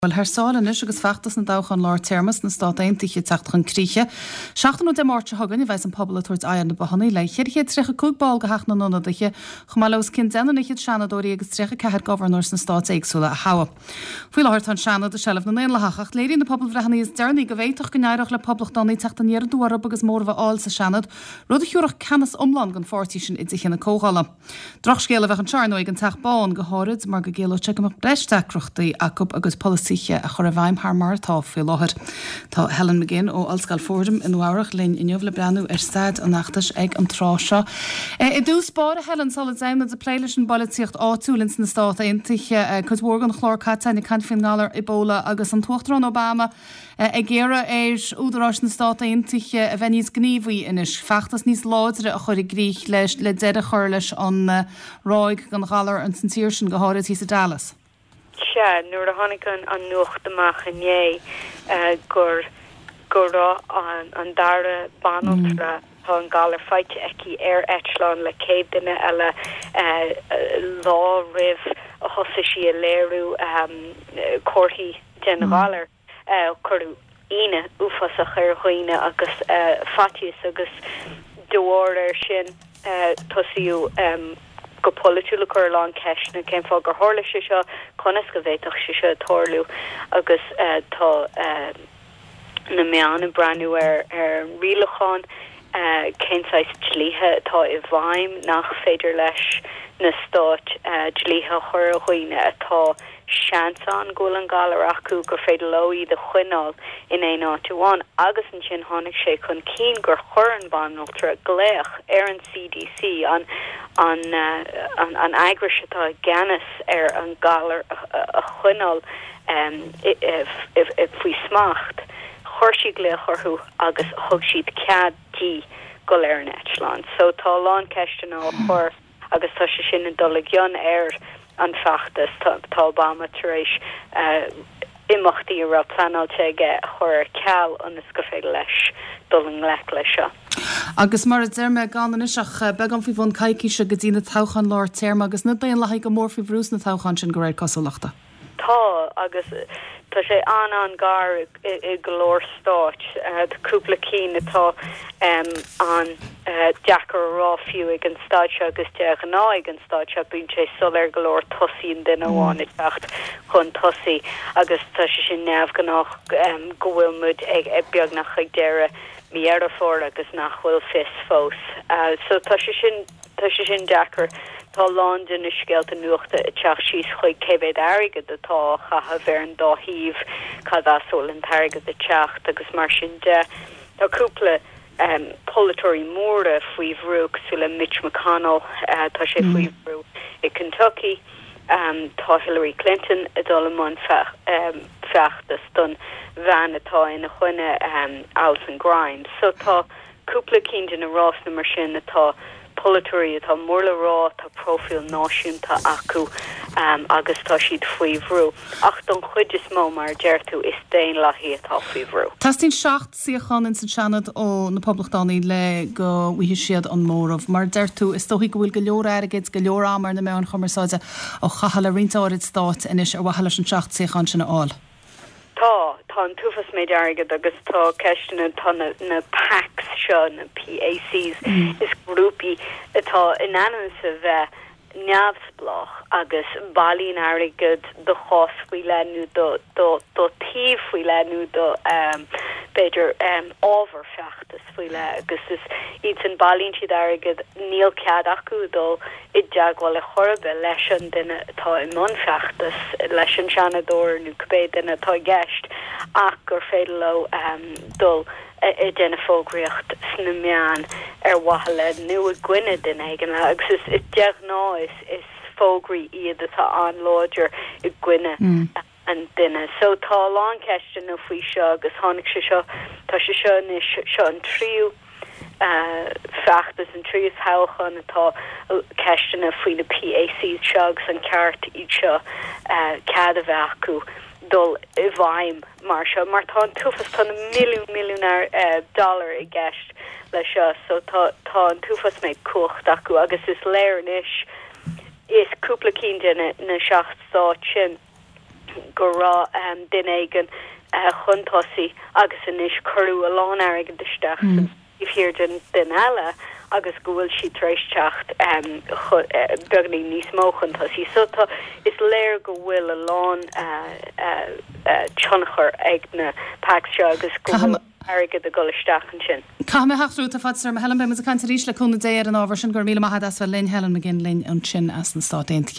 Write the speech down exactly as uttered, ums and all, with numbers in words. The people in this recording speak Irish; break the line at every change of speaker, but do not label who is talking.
Bhuel, thar sáile anois agus feachtas na dtoghchán lár téarma sna Stát Aontaithe ag teacht chun críche. Seachtain ó Dé Máirt seo chugainn a bheas an pobal ag tabhairt aghaidh ar na bothanna le ceithre chéad tríocha cúig ball de Theach na nIonadaithe, chomh maith le os cionn deich bhfichead seanadóirí agus tríocha ceathair gobharnóir sna stáit éagsúla a thoghadh. Faoi láthair tá an Seanad i seilbh na nDaonlathach, ach léiríonn na pobalbhreitheanna is deireanaí go bhféadfadh go n-éireodh le poblachtánaigh teacht aniar aduaidh orthu agus móramh a fháil sa Seanad, rud a thiúrfadh ceannas iomlán don pháirtí sin i dtithe na Comhdhála. Drochscéal a bheadh anseo, ar ndóigh, don Teach Bán, go háirid mar go gciallódh sé go mbeadh breis deacrachtaí acu a gcuid polasaithe a chur i bhfeidhm thar mar atá faoi láthair. Tá Helen McGinn ó Ollscoil Fordham i Nua-Eabhrac linn inniu le breathnú ar staid an fheachtais ag an tráth seo. I dtús báire, Helen, sula dtéimid ag plé leis an bpolaitíocht áitiúil ins na Stát Aontaithe, cuid mhór den chlár caite ag caint faoin ngalar Ebola agus an tUachtarán Obama ag iarraidh ar údaráis na Stát Aontaithe a bheith níos gníomhaí anois, feachtas níos láidre a chur i gcrích leis le deireadh a chur leis an ráig den ghalar ins an tír sin, go háirid thíos i Dallas.
Sea, nuair a tháinig an an nuacht amach inné gur go raibh an an dara banaltra tá an galar faighte aici ar eitleán le céad duine eile lá roimh a thosaigh sí a léiriú comharthaí den ghalar. Cuireadh ionadh uafásach ar dhaoine agus faitíos agus de bharr air sin tosaíodh go polaitiúil ag cur a lán ceisteanna cén fáth gur tharla sé seo, conas go bhféadfadh sé seo tarlú agus tá na meáin ag breathnú ar ar an rialachán, cén saghas dlíthe atá i bhfeidhm nach féidir leis na stáit dlíthe a chur ar dhaoine atá seans ann go bhfuil an galar acu, gur féidir leo iad a choinneáil in aon áit amháin. Agus ansin tháinig sé chun cinn gur chuir an bhanaltra glaoch ar an C D C, an an an an eagrais atá i gceannas ar an galar a choinneáil faoi smacht. Chuir sí glaoch orthu agus thug siad cead di dul ar an eitleán. So tá a lán ceisteanna á chur agus tá sé sin ag dul i gcion ar an feachtas. Tá Obama tar éis imeachtaí a raibh pleanáilte aige a chur ar ceal ionas gur féidir leis dul i ngleic leis seo.
Agus mar a deir mé, gan anois ach beagán faoi bhun coicíse go dtí na toghcháin lár téarma agus na Daonlathaigh go mór faoi bhrú sna toghcháin sin de réir cosúlachta.
Tá, agus tá sé an-an-ghar i go leor stáit. Cúpla cinn atá an-deacair a rá fiú ag an staid seo agus de ghnáth ag an staid seo bíonn sé soiléir go leor, tosaíonn duine amháin ag teacht chun tosaigh agus tá sé sin neamhghnách go bhfuil muid ag beagnach ag deireadh mí Dheireadh Fómhair agus nach bhfuil fios fós. So tá sé sin tá sé sin deacair. Tá lán de na scéalta nuachta ag teacht síos chuig cé mhéad airgead atá á chaitheamh ar an dá thaobh, cad as a bhfuil an t-airgead ag teacht agus mar sin de. Tá cúpla um, polaiteoirí móra faoi bhrú, cosúil le Mitch McConnell, uh, tá sé faoi mm. bhrú i Kentucky. Um, tá Hillary Clinton ag dul i mbun um, feachtas don bhean atá ina choinne, um, Alison Grimes. So tá cúpla cinn de na rásanna mar sin atá polaiteoirí atá mór le rá, tá profil náisiúnta acu um, agus tá siad faoi bhrú. Ach don chuid is mó, mar deir tú, is Daonlathaigh atá faoi bhrú.
Teastaíonn seacht suíochán in san Seanad ó na Poblachtánaigh le go bhfaighidh siad an móramh. Mar deir tú, is dóigh go bhfuil go leor airgid, go leor am ar na meáin chumarsáide á chaitheamh le roinnt áirid stáit anois ar mhaithe leis an seacht suíochán sin a fháil.
Tá tá an t-uafás méid airgead agus tá ceisteanna, tá na, na PACs seo, na P A Cs, mm. is grúpaí atá in ainm is a bheith neamhspleách agus bailíonn airgead do chás faoi leith nó do do do taobh faoi leith nó do um, b'fhéidir um, ábhar feachtas faoi leith agus is iad san bailíonn siad airgead, níl cead acu dul i dteagmháil le chorbe leis an duine atá i mbun feachtas, leis an seanadóir nó cibé duine atá i gceist, ach gur féidir leo um, dul ag déanamh fógraíocht sna meáin ar mhaithe le nó i gcoinne duine éigin agus is is de ghnáth is is fógraí iad atá an-láidir i gcoinne mm. an duine. So tá lán ceisteanna faoi seo agus tháinig sé seo, tá sé seo anois, seo an tríú uh, feachtas, an tríú toghchán atá ceisteanna faoi na P A C seo agus an ceart iad seo uh, cead a bheith acu dul i bhfeidhm mar seo, mar tá an t-uafás, tá na milliún milliún uh, dollar i gceist le seo, so tá tá an t-uafás méid cumhacht acu agus is léir anois is cúpla cinn de na, na seacht stát sin go raibh um, duine éigin uh, chun tosaigh agus anois cuireadh a lán airgead isteach mm. thiar den duine eile agus go bhfuil sí tar éis teacht um, uh, beagáinín níos mó chun tosaigh. So tá is léir go bhfuil a lán uh, uh, uh, tionchar ag na PACs seo agus go airgead ag dul isteach ansin.
Caithfidh mé theacht tá fad Helen beimid ag caint arís le cúnamh Dé ar an ábhar sin gur míle maith as linn Helen McGinn linn ansin as na Stáit Aontaithe.